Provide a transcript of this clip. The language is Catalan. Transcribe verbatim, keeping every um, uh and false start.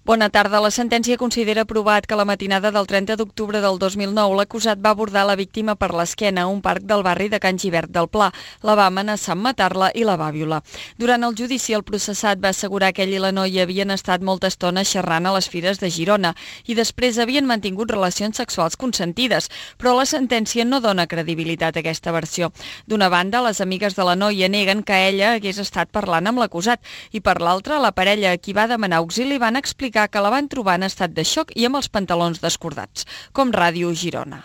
Bona tarda. La sentència considera provat que la matinada del trenta d'octubre del dos mil nou l'acusat va abordar la víctima per l'esquena a un parc del barri de Can Gibert del Pla. La va amenaçar amb matar-la i la va violar. Durant el judici, el processat va assegurar que ell i la noia havien estat molta estona xerrant a les fires de Girona i després havien mantingut relacions sexuals consentides, però la sentència no dona credibilitat a aquesta versió. D'una banda, les amigues de la noia neguen que ella hagués estat parlant amb l'acusat i per l'altra, la parella a qui va demanar auxili van explicar que la van trobar en estat de xoc i amb els pantalons descordats. Com Ràdio Girona.